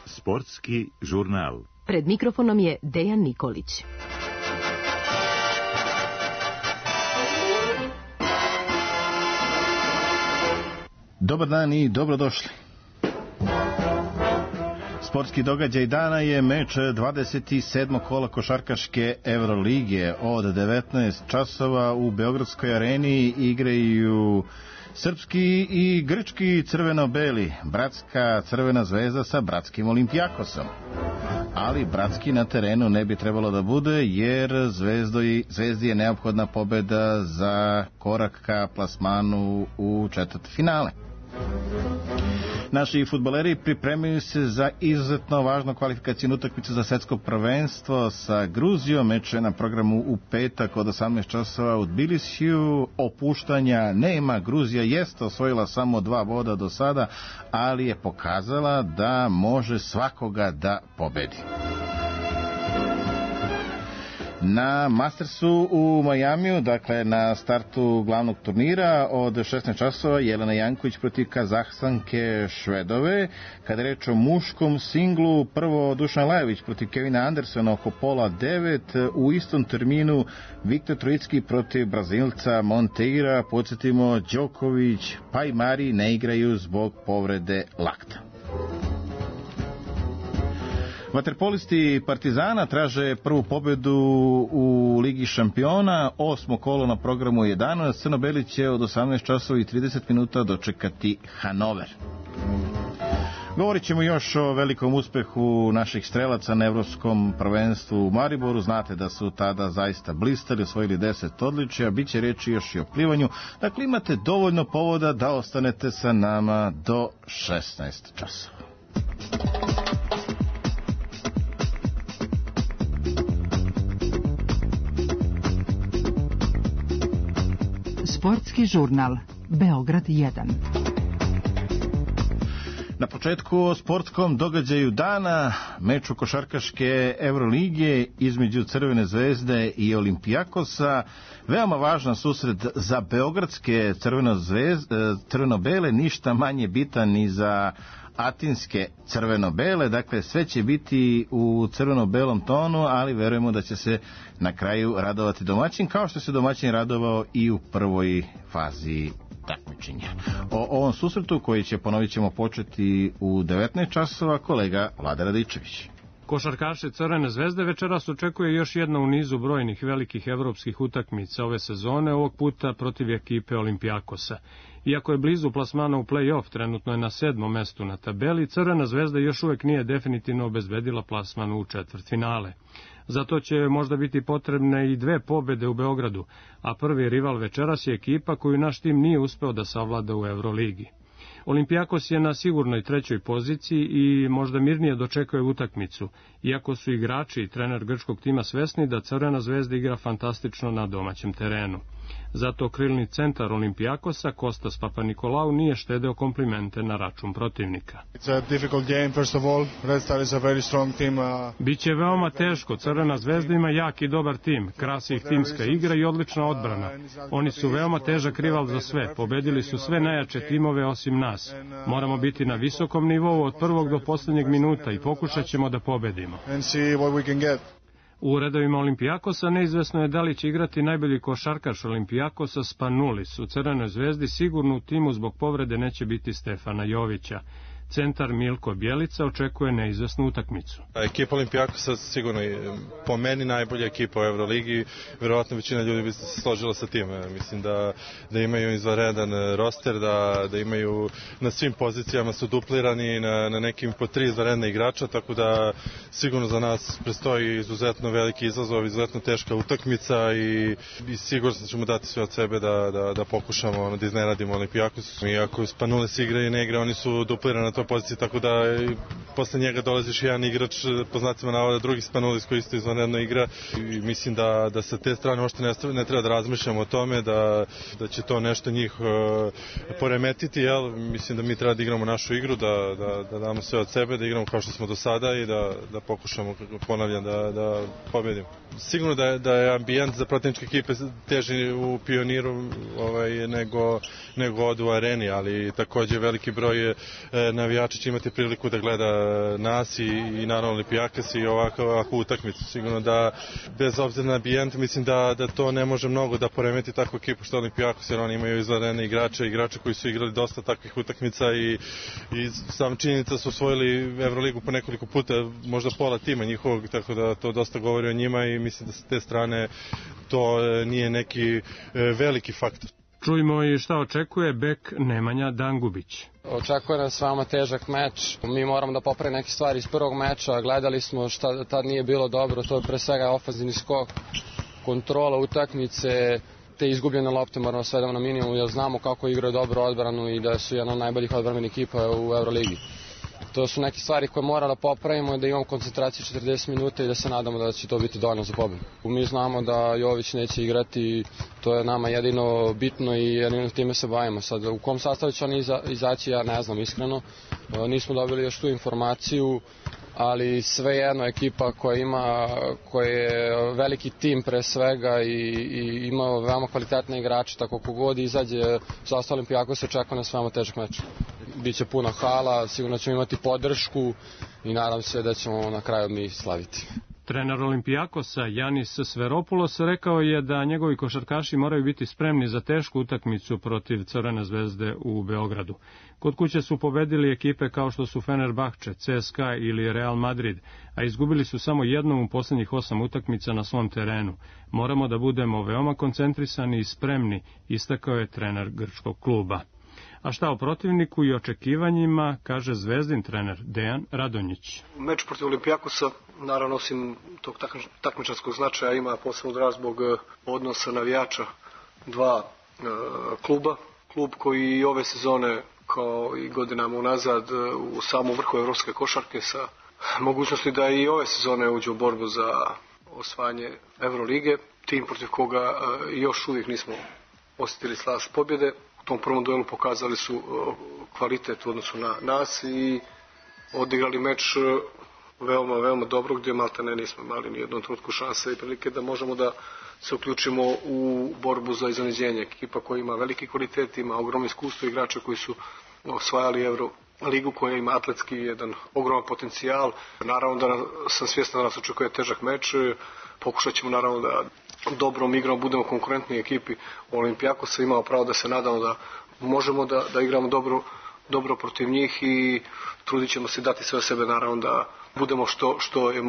Sportski žurnal. Pred mikrofonom je Dejan Nikolić. Dobar dan i dobrodošli. Sportski događaj dana je meč 27. kola košarkaške Evrolige. Od 19 časova u Beogradskoj areni igraju srpski i grčki crveno-beli, bratska Crvena zvezda sa bratskim Olimpijakosom. Ali bratski na terenu ne bi trebalo da bude, jer Zvezdi je neophodna pobeda za korak ka plasmanu u četvrtfinale. Naši fudbaleri pripremaju se za izuzetno važnu kvalifikacijnu utakmicu za svetsko prvenstvo sa Gruzijom. Meč je na programu u petak od 18 časova u Tbilisiju. Opuštanja nema. Gruzija jeste osvojila samo 2 boda do sada, ali je pokazala da može svakoga da pobedi. Na Mastersu u Majamiju, dakle na startu glavnog turnira od 16 časova, Jelena Janković protiv Kazahstanke Švedove. Kada je reč o muškom singlu, prvo Dušan Lajović protiv Kevina Andersona oko pola 9. U istom terminu Viktor Trojicki protiv Brazilca Monteira. Podsjetimo, Đoković pa i Mari ne igraju zbog povrede lakta. Vaterpolisti Partizana traže prvu pobedu u Ligi šampiona. 8. kolo na programu je danas. Crno-beli će od 18 časova i 30 minuta dočekati Hanover. Govorit ćemo još o velikom uspehu naših strelaca na Evropskom prvenstvu u Mariboru. Znate da su tada zaista blistali, osvojili 10 odličja. Biće reći još i o plivanju. Dakle, imate dovoljno povoda da ostanete sa nama do 16 časova. Sportski žurnal Beograd 1. Na početku o sportskom događaju dana, meču košarkaške Evrolige između Crvene zvezde i Olimpijakosa. Veoma važan susret za beogradske crveno-bele, ništa manje bitan ni za atinske crveno-bele. Dakle, sve će biti u crveno-belom tonu, ali verujemo da će se na kraju radovati domaćin, kao što se domaćin radovao i u prvoj fazi takmičenja. O ovom susretu, koji će, ponovit ćemo, početi u 19 časova, kolega Vlada Radičević. Košarkaše Crvene zvezde večeras očekuje još jedna u nizu brojnih velikih evropskih utakmica ove sezone, ovog puta protiv ekipe Olimpijakosa. Iako je blizu plasmana u play-off, trenutno je na 7. mestu na tabeli, Crvena zvezda još uvek nije definitivno obezbedila plasman u četvrtfinale. Zato će možda biti potrebne i 2 pobede u Beogradu, a prvi rival večeras je ekipa koju naš tim nije uspeo da savlada u Euroligi. Olimpijakos je na sigurnoj 3. poziciji i možda mirnije dočekuje utakmicu, iako su igrači i trener grčkog tima svesni da Crvena zvezda igra fantastično na domaćem terenu. Zato krilni centar Olimpijakosa, Kostas Papanikolau, nije štedeo komplimente na račun protivnika. Biće veoma teško, Crvena zvezda ima jak i dobar tim, krasi ih timska igra i odlična odbrana. Oni su veoma težak rival za sve, pobedili su sve najjače timove osim nas. Moramo biti na visokom nivou od prvog do posljednjeg minuta i pokušat ćemo da pobedimo. U redovima Olimpijakosa neizvesno je da li će igrati najbolji košarkaš Olimpijakosa Spanulis. U Crvenoj zvezdi sigurno u timu zbog povrede neće biti Stefana Jovića. Centar Milko Bjelica očekuje neizvesnu utakmicu. Ekipa Olimpijakosa sigurno je po meni najbolja ekipa u Euroligi. Verovatno većina ljudi bi se složila sa tim. Mislim da imaju izvanredan roster, da imaju na svim pozicijama su duplirani na nekim po 3 izvanredne igrača, tako da sigurno za nas predstoji izuzetno veliki izazov, izuzetno teška utakmica i sigurno ćemo dati sve od sebe da pokušamo da iznenadimo Olimpijakos. Iako Spanulis igra i ne igra, oni su duplirani na tom ključna pozicija, tako da posle njega dolaziš jedan igrač, po znacima navoda, drugi Spanulis koji isto izvanredno igra i mislim da sa te strane uopšte ne treba da razmišljamo o tome da će to nešto njih poremetiti, jel? Mislim da mi treba da igramo našu igru, da damo sve od sebe, da igramo kao što smo do sada i da pokušamo, ponavljam, da pobedimo. Sigurno da je ambijent za protivničke ekipe teži u Pioniru nego od u Areni, ali takođe veliki broj navijača će imati priliku da gleda nas i naravno Olimpijakos i ovakvu utakmicu. Sigurno da bez obzira na ambijent mislim da to ne može mnogo da poremeti takvu ekipu što Olimpijakos, jer oni imaju izvanredne igrače koji su igrali dosta takvih utakmica i sam činjenica su osvojili Evroligu po nekoliko puta, možda pola tima njihovog, tako da to dosta govori o njima i mislim da sa te strane to nije neki veliki faktor. Čujmo i šta očekuje bek Nemanja Dangubić. Očekuje nas veoma težak meč. Mi moramo da popravimo neke stvari iz prvog meča. Gledali smo šta tad nije bilo dobro. To je pre svega ofanzivni skok, kontrola utakmice, te izgubljene lopte moramo svedemo na minimum, jer znamo kako igraju dobro odbranu i da su jedna od najboljih odbrambenih ekipa u Euroligi. To su neke stvari koje moramo da popravimo, da imamo koncentraciju 40 minuta i da se nadamo da će to biti dovoljno za pobedu. Mi znamo da Jović neće igrati, to je nama jedino bitno i jedino time se bavimo. Sad, u kom sastavu će oni izaći, ja ne znam iskreno. Nismo dobili još tu informaciju, ali svejedno ekipa koja je veliki tim pre svega i ima veoma kvalitetne igrače, tako kogod izađe za Olimpijakos se očekuje na veoma težak meč. Biće puno hala, sigurno ćemo imati podršku i nadam se da ćemo na kraju mi slaviti. Trener Olimpijakosa Janis Sveropoulos rekao je da njegovi košarkaši moraju biti spremni za tešku utakmicu protiv Crvene zvezde u Beogradu. Kod kuće su pobedili ekipe kao što su Fenerbahče, CSKA ili Real Madrid, a izgubili su samo jednom u poslednjih 8 utakmica na svom terenu. Moramo da budemo veoma koncentrisani i spremni, istakao je trener grčkog kluba. A šta o protivniku i očekivanjima, kaže Zvezdin trener Dejan Radonjić. Meč protiv Olimpijakosa, naravno osim tog takmičarskog značaja, ima posebno draž zbog odnosa navijača dva kluba. Klub koji ove sezone, kao i godinama unazad, u samom vrhu evropske košarke sa mogućnosti da i ove sezone uđe u borbu za osvajanje Evrolige. Tim protiv koga još uvijek nismo osjetili slast pobjede. U tom prvom duelu pokazali su kvalitet u odnosu na nas i odigrali meč veoma dobro, gdje maltene nismo imali ni jednom trenutku šanse i prilike da možemo da se uključimo u borbu za iznenađenje. Ekipa koja ima veliki kvalitet, ima ogromno iskustvo, igrače koji su osvajali Evroligu, koja ima atletski jedan ogroman potencijal. Naravno da sam svjestan da nas očekuje težak meč. Pokušat ćemo naravno da dobrom igrom budemo konkurentni ekipi Olimpijakosa. Imamo pravo da se nadamo da možemo da igramo dobro protiv njih i trudit ćemo se dati sve od sebe, naravno da budemo što je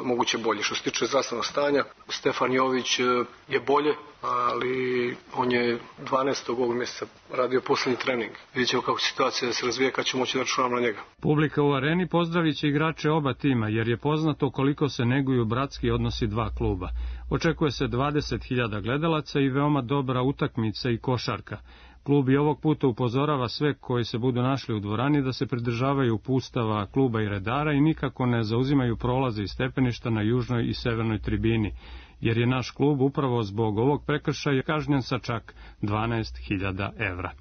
moguće bolje. Što se tiče zdravstvenog stanja, Stefan Jović je bolje, ali on je 12. ovog mjeseca radio posljednji trening. Vidjet ćemo kako situacija se razvija, kad ćemo moći da računamo na njega. Publika u areni pozdravit će igrače oba tima, jer je poznato koliko se neguju bratski odnosi dva kluba. Očekuje se 20.000 gledalaca i veoma dobra utakmica i košarka. Klub i ovog puta upozorava sve koji se budu našli u dvorani da se pridržavaju uputstava kluba i redara i nikako ne zauzimaju prolaze i stepeništa na južnoj i severnoj tribini, jer je naš klub upravo zbog ovog prekršaja kažnjen sa čak 12.000 evra.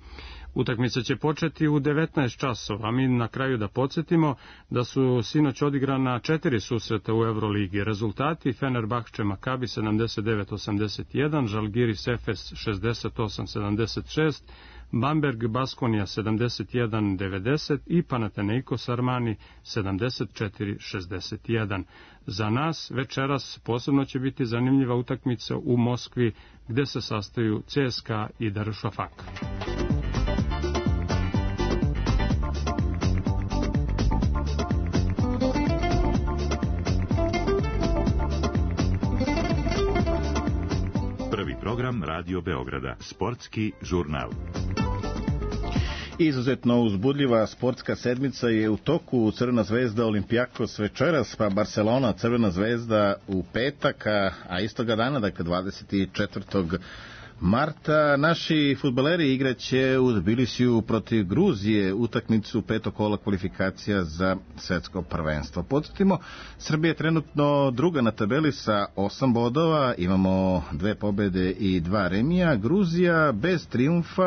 Utakmica će početi u 19 časova, a mi na kraju da podsjetimo da su sinoć odigrana 4 susreta u Euroligi. Rezultati: Fenerbahče Makabi 79-81, Žalgiris Efes 68-76, Bamberg Baskonija 71-90 i Panathinaikos Armani 74-61. Za nas večeras posebno će biti zanimljiva utakmica u Moskvi, gde se sastaju CSKA i Darušafak. Program Radio Beograda, sportski žurnal. Izuzetno uzbudljiva sportska sedmica je u toku. Crvena zvezda Olimpijakos večeras, pa Barcelona Crvena zvezda u petak, a istoga dana, dakle 24. marta naši fudbaleri igraće u Tbilisiju protiv Gruzije utakmicu petog kola kvalifikacija za svetsko prvenstvo. Podsjetimo, Srbija je trenutno druga na tabeli sa 8 bodova, imamo 2 pobede i 2 remija. Gruzija bez trijumfa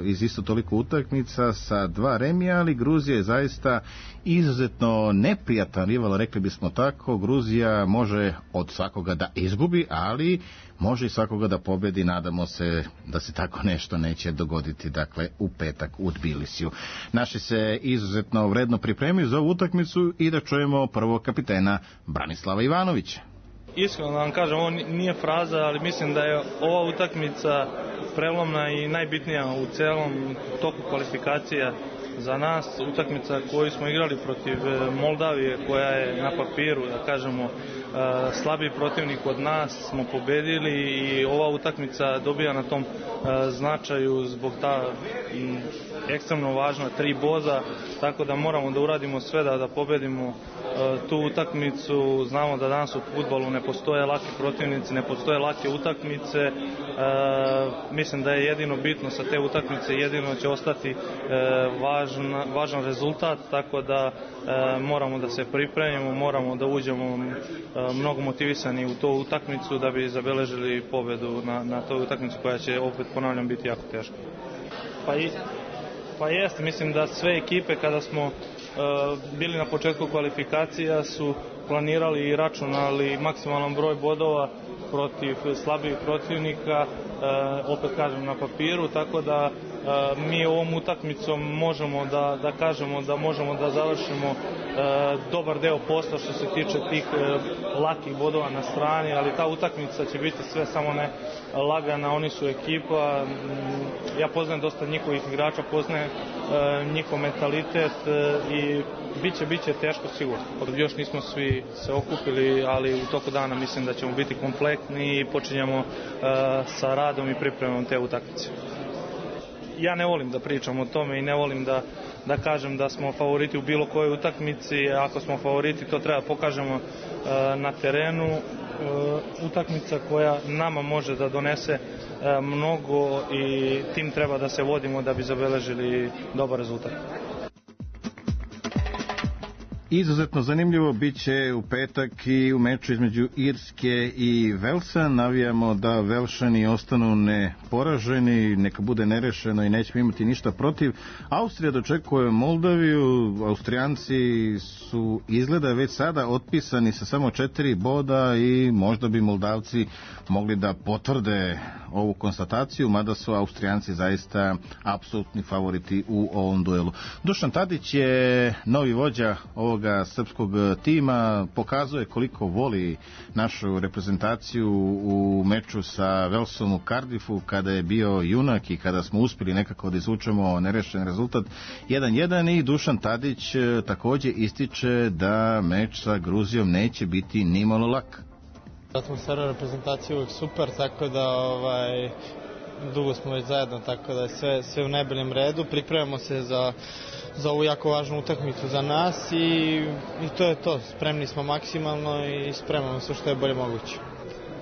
iz isto toliko utakmica sa 2 remija, ali Gruzija je zaista izuzetno neprijatan rival, rekli bismo tako. Gruzija može od svakoga da izgubi, ali može i svakoga da pobedi. Nadamo se da se tako nešto neće dogoditi, dakle, u petak u Tbilisiju. Naši se izuzetno vredno pripremio za ovu utakmicu i da čujemo prvo kapitena Branislava Ivanovića. Iskreno da vam kažem, ovo nije fraza, ali mislim da je ova utakmica prelomna i najbitnija u celom toku kvalifikacija za nas. Utakmica koju smo igrali protiv Moldavije, koja je na papiru, da kažemo, slabiji protivnik od nas, smo pobedili i ova utakmica dobija na tom značaju zbog ta ekstremno važna 3 boda, tako da moramo da uradimo sve da pobedimo tu utakmicu. Znamo da danas u fudbalu ne postoje laki protivnici, ne postoje lake utakmice. Mislim da je jedino bitno sa te utakmice, jedino će ostati važan rezultat, tako da moramo da se pripremimo, moramo da uđemo mnogo motivisani u tu utakmicu da bi zabeležili pobedu na toj utakmici koja će, opet ponavljam, biti jako teška. Pa jeste, mislim da sve ekipe kada smo bili na početku kvalifikacija su planirali i računali maksimalan broj bodova protiv slabijih protivnika, opet kažem na papiru, tako da mi ovom utakmicom možemo da kažemo da možemo da završimo dobar deo posla što se tiče tih lakih bodova na strani, ali ta utakmica će biti sve samo ne lagana. Oni su ekipa, ja poznajem dosta njihovih igrača, poznajem njihov mentalitet i biće teško sigurno. Još nismo svi se okupili, ali u toku dana mislim da ćemo biti kompletni i počinjemo sa radom i pripremom te utakmice. Ja ne volim da pričam o tome i ne volim da kažem da smo favoriti u bilo kojoj utakmici. Ako smo favoriti, to treba pokažemo na terenu. Utakmica koja nama može da donese mnogo i tim treba da se vodimo da bi zabeležili dobar rezultat. Izuzetno zanimljivo bit će u petak i u meču između Irske i Velsa. Navijamo da Velšani ostanu neporaženi, neka bude nerešeno i nećemo imati ništa protiv. Austrija dočekuje Moldaviju. Austrijanci su izgleda već sada otpisani sa samo 4 boda i možda bi Moldavci mogli da potvrde ovu konstataciju, mada su Austrijanci zaista apsolutni favoriti u ovom duelu. Dušan Tadić je novi vođa ovoga srpskog tima, pokazuje koliko voli našu reprezentaciju u meču sa Velsom u Cardiffu, kada je bio junak i kada smo uspjeli nekako da izvučemo nerešen rezultat 1-1, i Dušan Tadić također ističe da meč sa Gruzijom neće biti nimalo lak. Atmosfera reprezentacije uvijek super, tako da dugo smo već zajedno, tako da je sve u najboljem redu. Pripremamo se za ovu jako važnu utakmicu za nas i to je to. Spremni smo maksimalno i spremamo se što je bolje moguće.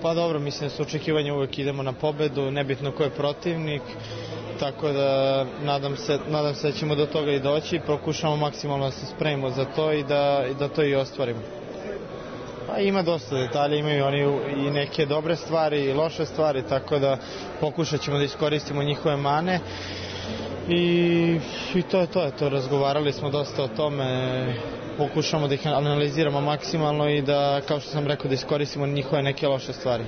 Pa dobro, mislim da su očekivanja, uvijek idemo na pobedu, nebitno ko je protivnik, tako da nadam se da ćemo do toga i doći. Pokušamo maksimalno da se spremimo za to i da to i ostvarimo. Pa ima dosta detalja, imaju oni i neke dobre stvari i loše stvari, tako da pokušat ćemo da iskoristimo njihove mane i to je to. Razgovarali smo dosta o tome, pokušamo da ih analiziramo maksimalno i da, kao što sam rekao, da iskoristimo njihove neke loše stvari.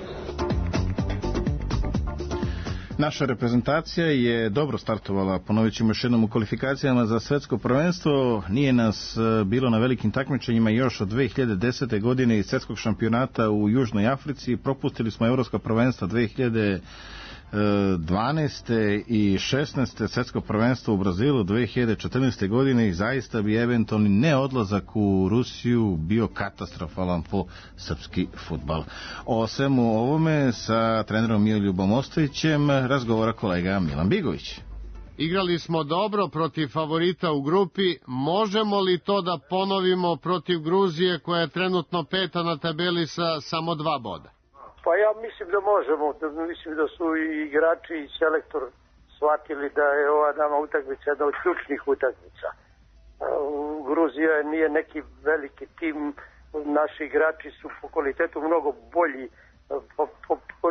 Naša reprezentacija je dobro startovala, ponovit ćemo još jednom, u kvalifikacijama za svetsko prvenstvo. Nije nas bilo na velikim takmičenjima još od 2010. godine i svetskog šampionata u Južnoj Africi. Propustili smo evropska prvenstva 2012. i 16. svetsko prvenstvo u Brazilu 2014. godine i zaista bi eventualni neodlazak u Rusiju bio katastrofalan po srpski fudbal. O svemu ovome sa trenerom Miroljubom Ostojićem razgovara kolega Milan Bigović. Igrali smo dobro protiv favorita u grupi. Možemo li to da ponovimo protiv Gruzije, koja je trenutno 5. na tabeli sa samo 2 boda? Pa ja mislim da možemo, mislim da su i igrači i selektor shvatili da je ova nama utakmica jedna od ključnih utakmica. Gruzija nije neki veliki tim, naši igrači su po kvalitetu mnogo bolji,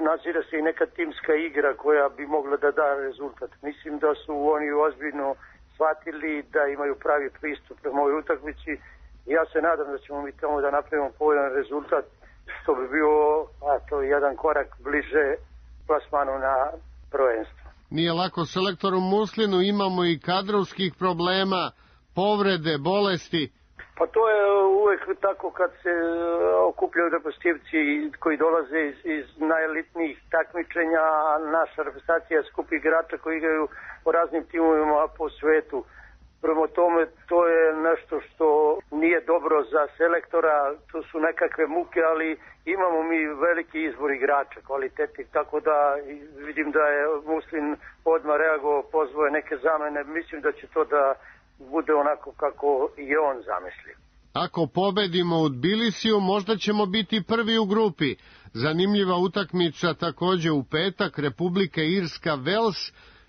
nazira se i neka timska igra koja bi mogla da da rezultat. Mislim da su oni ozbiljno shvatili da imaju pravi pristup prema ovoj utakmici. Ja se nadam da ćemo mi tamo da napravimo povoljan rezultat, što bi bio jedan korak bliže plasmanu na prvenstvo. Nije lako selektoru Muslinu, imamo i kadrovskih problema, povrede, bolesti. Pa to je uvek tako kad se okupljaju reprezentativci koji dolaze iz najelitnijih takmičenja, a naša reprezentacija skupi igrača koji igraju po raznim timovima po svetu. Prema tome, to je nešto što nije dobro za selektora, to su nekakve muke, ali imamo mi veliki izbor igrača, kvalitetnih, tako da vidim da je Muslin odmah reagovao, pozvao je neke zamene, mislim da će to da bude onako kako je on zamislio. Ako pobedimo u Tbilisiju, možda ćemo biti prvi u grupi. Zanimljiva utakmica takođe u petak, Republika Irska, Vels.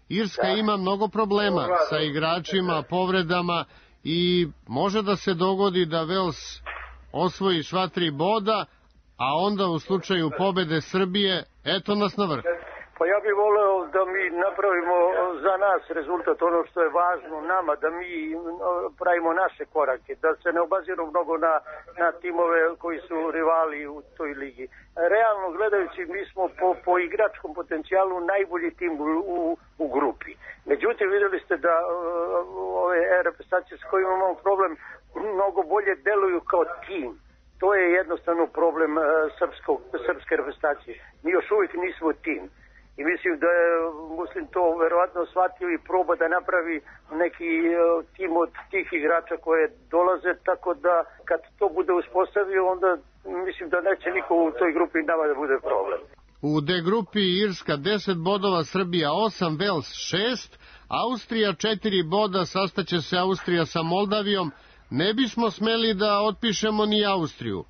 Irska ima mnogo problema sa igračima, povredama i može da se dogodi da Vels osvoji sva 3 boda, a onda u slučaju pobede Srbije, eto nas na vrh. Pa ja bih voleo da mi napravimo za nas rezultat, ono što je važno nama, da mi pravimo naše korake, da se ne obaziru mnogo na timove koji su rivali u toj ligi. Realno gledajući, mi smo po igračkom potencijalu najbolji tim u grupi. Međutim, videli ste da ove reprezentacije s kojima imamo problem mnogo bolje deluju kao tim. To je jednostavno problem srpske reprezentacije. Mi još uvijek nismo tim. I mislim da je Muslin to verovatno shvatio i proba da napravi neki tim od tih igrača koje dolaze, tako da kad to bude uspostavio, onda mislim da neće niko u toj grupi nama da bude problem. U D grupi Irska 10 bodova, Srbija 8, Vels 6, Austrija 4 boda, sastaće se Austrija sa Moldavijom. Ne bismo smeli da otpišemo ni Austriju.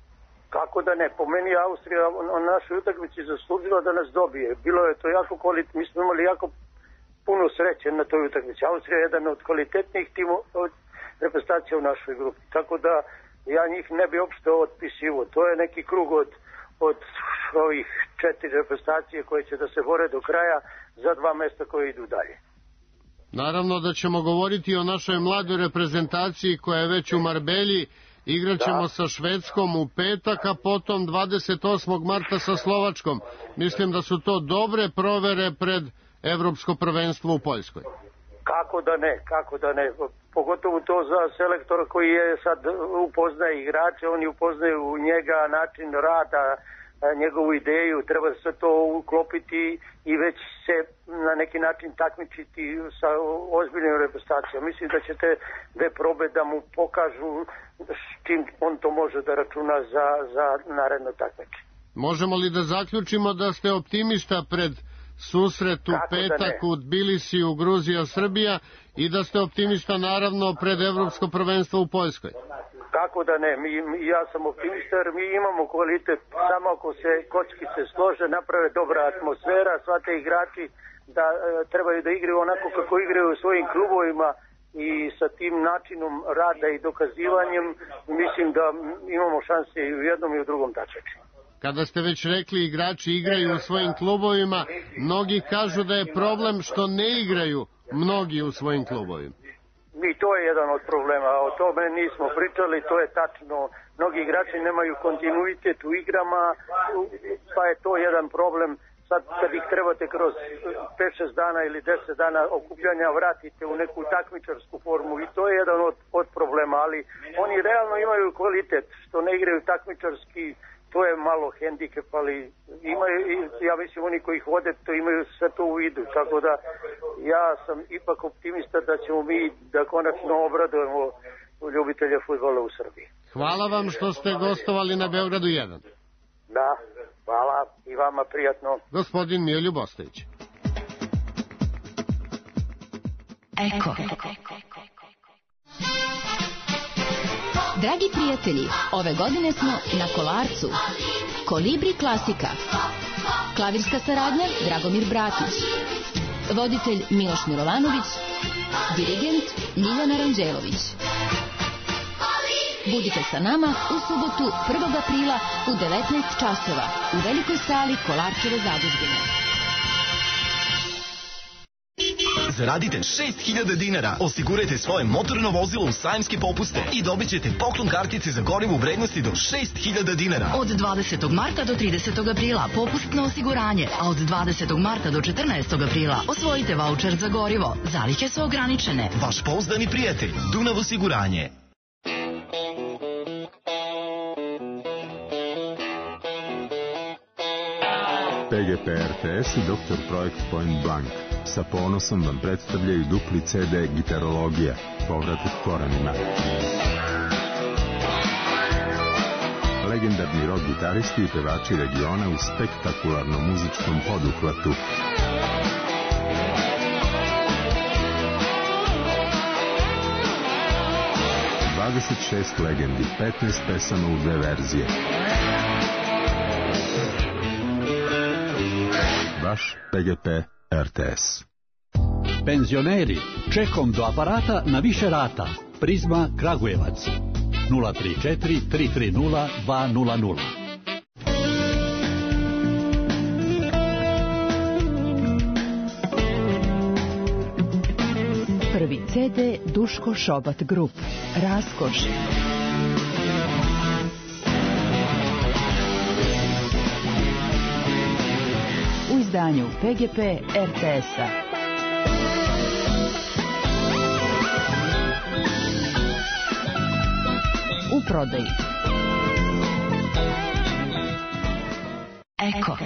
Kako da ne? Po meni Austrija na našoj utakmici zaslužila da nas dobije. Bilo je to jako kvalitetno, mi smo imali jako puno sreće na toj utakmici. Austrija je jedan od kvalitetnijih reprezentacija u našoj grupi. Tako da ja njih ne bi uopšte otpisivo. To je neki krug od ovih 4 reprezentacije koje će da se bore do kraja za 2 mesta koje idu dalje. Naravno da ćemo govoriti o našoj mladoj reprezentaciji koja je već u Marbelji. Igraćemo sa Švedskom u petak, a potom 28. marta sa Slovačkom. Mislim da su to dobre provere pred Evropsko prvenstvo u Poljskoj. Kako da ne. Pogotovo to za selektora koji je sad upoznaje igrače, oni upoznaju njega, način rada, njegovu ideju, treba se to uklopiti i već se na neki način takmičiti sa ozbiljnom reprezentacijom. Mislim da će te 2 probe da mu pokažu s čim on to može da računa za naredno takmičenje. Možemo li da zaključimo da ste optimista pred susret u petak u Tbilisiju, Gruzija, Srbija i da ste optimista naravno pred Evropsko prvenstvo u Poljskoj? Kako da ne, ja sam optimista jer mi imamo kvalitet, samo ako se kockice slože, naprave dobra atmosfera, sva te igrači da trebaju da igraju onako kako igraju u svojim klubovima i sa tim načinom rada i dokazivanjem, mislim da imamo šanse i u jednom i u drugom takmičenju. Kada ste već rekli igrači igraju u svojim klubovima, mnogi kažu da je problem što ne igraju mnogi u svojim klubovima. I to je jedan od problema, o tome nismo pričali, to je tačno. Mnogi igrači nemaju kontinuitet u igrama, pa je to jedan problem. Sad kad ih trebate kroz 5-6 dana ili 10 dana okupljanja vratite u neku takmičarsku formu i to je jedan od problema, ali oni realno imaju kvalitet, što ne igraju takmičarski, to je malo hendikep, ali imaju, ja mislim oni koji ih vode to imaju sve to u vidu, tako da ja sam ipak optimista da ćemo mi da konačno obradujemo ljubitelje fudbala u Srbiji. Hvala vam što ste gostovali na Beogradu 1. Da, hvala i vama prijatno. Gospodin Miroljub Ostojić. Eko. Dragi prijatelji, ove godine smo na Kolarcu. Kolibri klasika. Klavirska saradnja Dragomir Bratić. Voditelj Miloš Milovanović. Dirigent Ljiljana Ranđelović. Budite sa nama u subotu 1. aprila u 19 časova u velikoj sali Kolarčeve zadužbine. Zaradite 6.000 dinara, osigurajte svoje motorno vozilo u sajamske popuste i dobit ćete poklon kartice za gorivo u vrednosti do 6.000 dinara. Od 20. marta do 30. aprila popustno osiguranje, a od 20. marta do 14. aprila osvojite vaučer za gorivo. Zalihe su ograničene. Vaš pouzdani prijatelj, Dunav osiguranje. PGP RTS i Dr. Projekt Point Blank sa ponosom vam predstavljaju dupli CD Gitarologija, povratak korenima. Legendarni rock gitaristi i pevači regiona u spektakularnom muzičkom poduhvatu. ...26 legendi, 15 pesama u 2 verzije. Vaš PGP RTS. Penzioneri, čekom do aparata na više rata. Prizma Kragujevac 034 330 200. Prvi CD Duško Šobat Grup. Raskoš. U izdanju PGP RTS-a. U prodaji. Eko.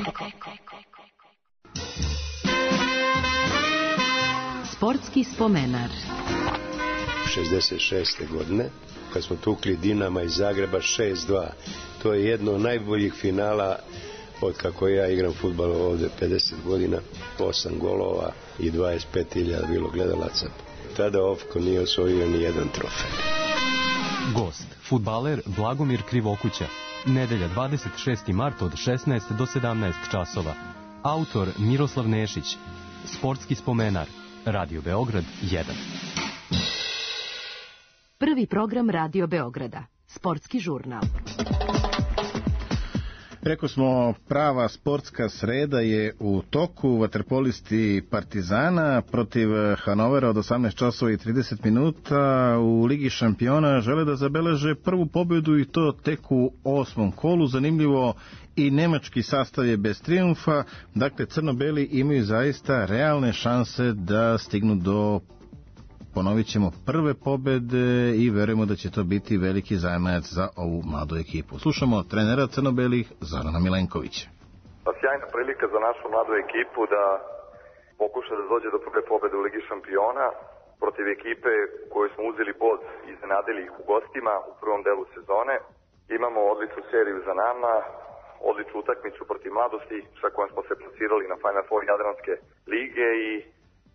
Sportski spomenar. 66. godine, kad smo tukli Dinama iz Zagreba 6-2. To je jedno od najboljih finala od kako ja igram fudbal ovde 50 godina. 8 golova i 25.000 bilo gledalaca. Tada Ofko nije osvojio ni jedan trofej. Gost, fudbaler Blagomir Krivokuća. Nedelja 26. marta od 16 do 17 časova. Autor Miroslav Nešić. Sportski spomenar. Radio Beograd 1. Prvi program Radio Beograda. Sportski žurnal. Rekao smo, prava sportska sreda je u toku. Vaterpolisti Partizana protiv Hanovera od 18 časova i 30 minuta u Ligi šampiona žele da zabeleže prvu pobjedu i to tek u 8. kolu. Zanimljivo, i nemački sastav je bez trijumfa. Dakle, crno-beli imaju zaista realne šanse da stignu do, ponovit ćemo, prve pobjede i verujemo da će to biti veliki zajamac za ovu mladu ekipu. Slušamo trenera crno-belih Zorana Milenkovića. Sjajna prilika za našu mladu ekipu da pokuša da dođe do prve pobjede u Ligi šampiona protiv ekipe koju smo uzeli bod i iznenadili ih u gostima u prvom delu sezone. Imamo odličnu seriju za nama, odličnu utakmicu protiv mladosti sa kojom smo se plasirali na Final Four Jadranske lige i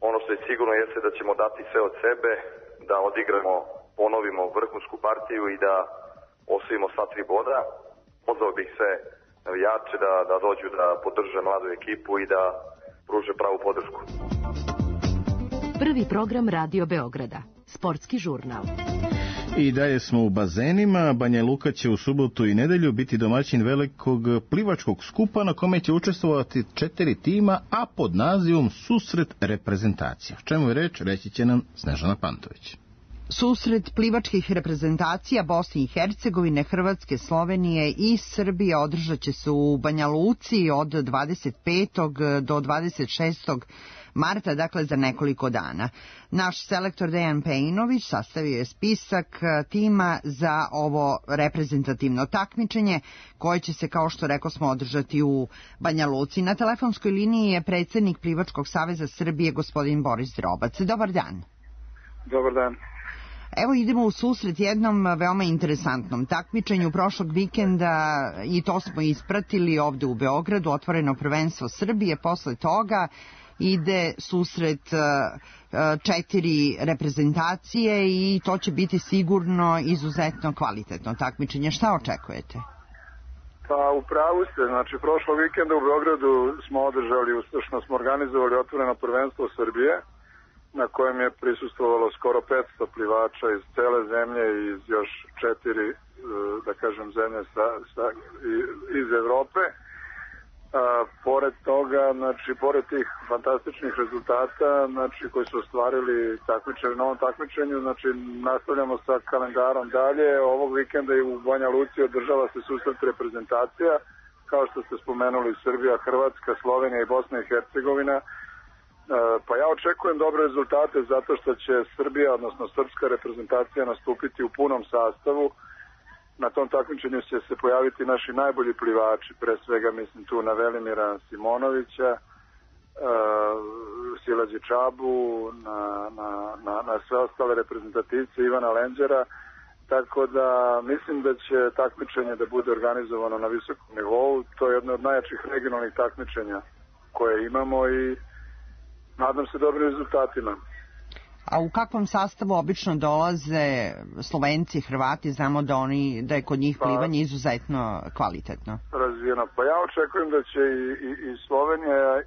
ono što je sigurno jeste da ćemo dati sve od sebe, da odigramo, ponovimo vrhunsku partiju i da osvojimo sva 3 boda. Pozvao bih sve navijače da dođu da podrže mladu ekipu i da pruže pravu podršku. Prvi program Radio Beograda. Sportski žurnal. I dalje smo u bazenima. Banja Luka će u subotu i nedelju biti domaćin velikog plivačkog skupa na kome će učestvovati 4 tima, a pod nazivom Susret reprezentacija. O čemu je reč, reći će nam Snežana Pantović. Susret plivačkih reprezentacija Bosne i Hercegovine, Hrvatske, Slovenije i Srbije održat će se u Banja Luci od 25. do 26. marta, dakle za nekoliko dana. Naš selektor Dejan Pejinović sastavio je spisak tima za ovo reprezentativno takmičenje koje će se, kao što rekao smo, održati u Banja Luci. Na telefonskoj liniji je predsjednik Plivačkog saveza Srbije, gospodin Boris Drobac. Dobar dan. Dobar dan. Evo idemo u susret jednom veoma interesantnom takmičenju prošlog vikenda i to smo ispratili ovde u Beogradu, otvoreno prvenstvo Srbije. Posle toga ide susret 4 reprezentacije i to će biti sigurno izuzetno kvalitetno takmičenje. Šta očekujete? Pa u pravu ste, znači prošlog vikenda u Beogradu smo održali, uspešno smo organizovali otvoreno prvenstvo Srbije, na kojem je prisustvovalo skoro 500 plivača iz cele zemlje i iz još 4, da kažem, zemlje iz Evrope. Pored toga, znači, pored tih fantastičnih rezultata, znači, koji su ostvarili takmičari na ovom takmičenju, znači, nastavljamo sa kalendarom dalje. Ovog vikenda i u Banja Luci održava se susret reprezentacija, kao što ste spomenuli, Srbija, Hrvatska, Slovenija i Bosna i Hercegovina. Pa ja očekujem dobre rezultate zato što će Srbija, odnosno srpska reprezentacija, nastupiti u punom sastavu. Na tom takmičenju će se pojaviti naši najbolji plivači, pre svega mislim tu na Velimira Simonovića, Silađi Čabu, na sve ostale reprezentativce, Ivana Lenđera, tako da mislim da će takmičenje da bude organizovano na visokom nivou. To je jedno od najjačih regionalnih takmičenja koje imamo i nadam se dobrim rezultatima. A u kakvom sastavu obično dolaze Slovenci, Hrvati? Znamo da je kod njih plivanje izuzetno kvalitetno. Razvijeno. Pa ja očekujem da će i Slovenija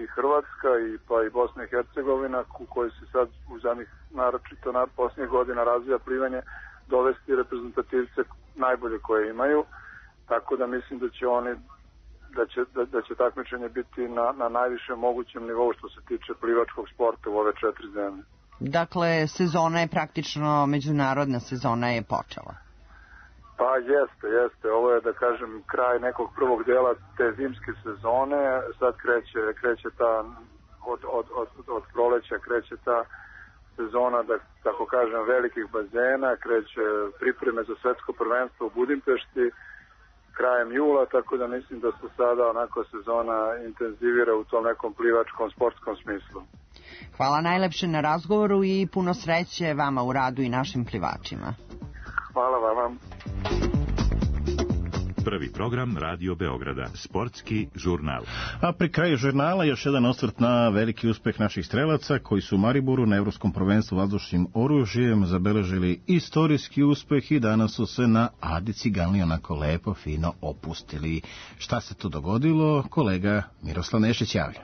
i Hrvatska pa i Bosna i Hercegovina, u kojoj se sad u zadnjih naročito posljednjih godina razvija plivanje, dovesti reprezentativce najbolje koje imaju. Tako da mislim da će oni da će takmičenje biti na najvišem mogućem nivou što se tiče plivačkog sporta u ove 4 zemlje. Dakle, sezona je praktično, međunarodna sezona je počela. Pa jeste. Ovo je, da kažem, kraj nekog prvog dela te zimske sezone. Sad kreće ta, od proleća kreće ta sezona, da tako kažem, velikih bazena, kreće pripreme za svetsko prvenstvo u Budimpešti krajem jula, tako da mislim da se sada onako sezona intenzivira u tom nekom plivačkom, sportskom smislu. Hvala najlepše na razgovoru i puno sreće vama u radu i našim plivačima. Hvala vama. Prvi program Radio Beograda, sportski žurnal. A pri kraju žurnala još jedan osvrt na veliki uspeh naših strelaca koji su u Mariboru na Evropskom prvenstvu vazdušnim oružjem zabeležili istorijski uspeh i danas su se na Adi Ciganli onako lepo, fino opustili. Šta se tu dogodilo? Kolega Miroslav Nešić javlja.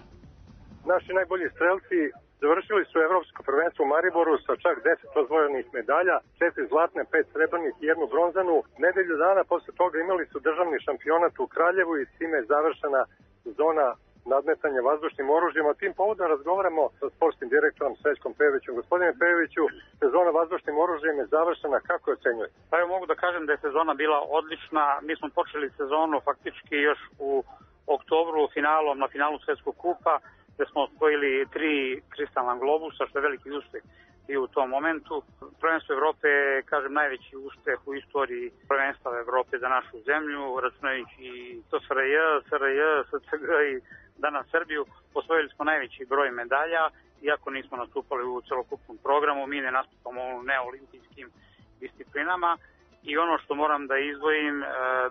Naši najbolji strelci završili su Evropsko prvenstvo u Mariboru sa čak 10 osvojenih medalja, 4 zlatne, 5 srebrnih i 1 bronzanu. Nedelju dana posle toga imali su državni šampionat u Kraljevu i s time je završena zona nadmetanja vazdušnim oružjem. O tim povodom razgovaramo sa sportskim direktorom Srećkom Pejovićem. Gospodine Pejoviću, sezona vazdušnim oružjem je završena, kako je ocenjujete? Pa evo mogu da kažem da je sezona bila odlična. Mi smo počeli sezonu faktički još u oktobru na finalu Svetskog kupa, gde smo osvojili 3 kristalna globusa, što je veliki uspeh i u tom momentu. Prvenstvo Evrope je, kažem, najveći uspeh u istoriji prvenstva Evrope za našu zemlju, računajući i to SRJ, SCG i danas Srbiju. Osvojili smo najveći broj medalja, iako nismo nastupali u celokupnom programu, mi ne nastupamo u neolimpijskim disciplinama. I ono što moram da izdvojim,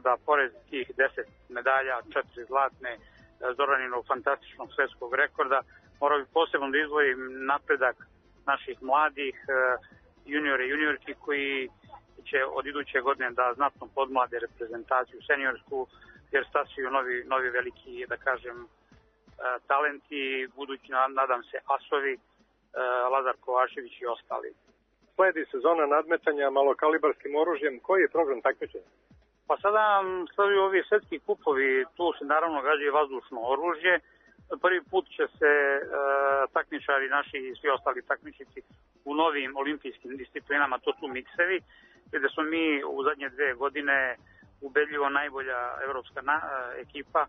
da pored tih 10 medalja, 4 zlatne, Zoraninog fantastičnog svetskog rekorda, morao bi posebno da izdvojim napredak naših mladih juniora i juniorki koji će od iduće godine da znatno podmlade reprezentaciju seniorsku, jer stasuju novi veliki, da kažem, talenti, budući, nadam se, asovi, Lazar Kovačević i ostali. Sledi sezona nadmetanja malokalibarskim oružjem. Koji je program takmičenja? Pa sada sleduju ovi svetski kupovi, tu se naravno gađa vazdušno oružje. Prvi put će se takmičari naši i svi ostali takmičnici u novim olimpijskim disciplinama, to su miksevi, gde smo mi u zadnje 2 godine ubedljivo najbolja evropska ekipa.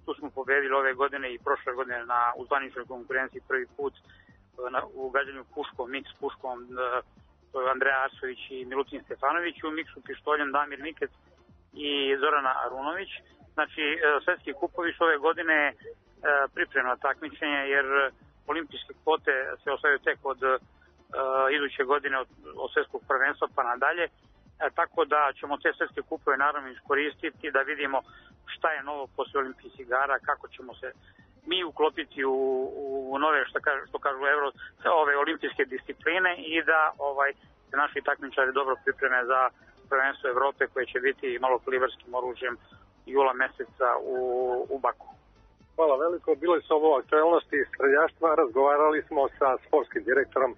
Tu smo pobedili ove godine i prošle godine u zvaničnoj konkurenciji prvi put u gađanju puškom, miks puškom, to je Andreja Arsović i Milutin Stefanović, u miksu pištoljem Damir Mikec i Zorana Arunović. Znači, svetski kupovi su ove godine pripremno takmičenje, jer olimpijske kvote se osvajaju tek od iduće godine od svetskog prvenstva pa nadalje, tako da ćemo te svetske kupove naravno iskoristiti da vidimo šta je novo posle olimpijskih igara, kako ćemo se mi uklopiti u nove, što kažu ove olimpijske discipline i da naši takmičari dobro pripreme za prvenstvo Evrope koje će biti malokalibarskim oružjem jula meseca u Baku. Hvala veliko. Bile su ovo aktualnosti streljaštva. Razgovarali smo sa sportskim direktorom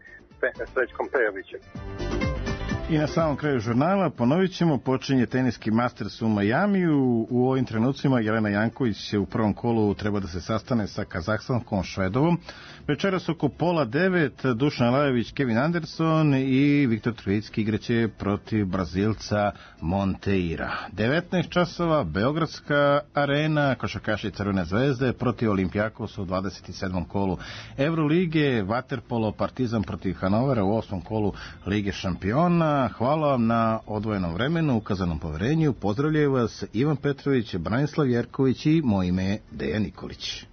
Srećkom Pejovićem. I na samom kraju žurnala ponovit ćemo, počinje teniski Masters u Majamiju. U ovim trenucima Jelena Janković u prvom kolu treba da se sastane sa Kazahstanskom Švedovom. Večeras oko 8:30 Dušan Lajović, Kevin Anderson i Viktor Trojicki igraće protiv Brazilca Monteira. 19 časova Beogradska arena, košarkaši Crvene zvezde protiv Olimpijakosa u 27. kolu Evrolige, vaterpolo Partizan protiv Hanovera u 8. kolu Lige šampiona. Hvala vam na odvojenom vremenu, ukazanom poverenju. Pozdravljaju vas Ivan Petrović, Branislav Jerković i moje ime je Dejan Nikolić.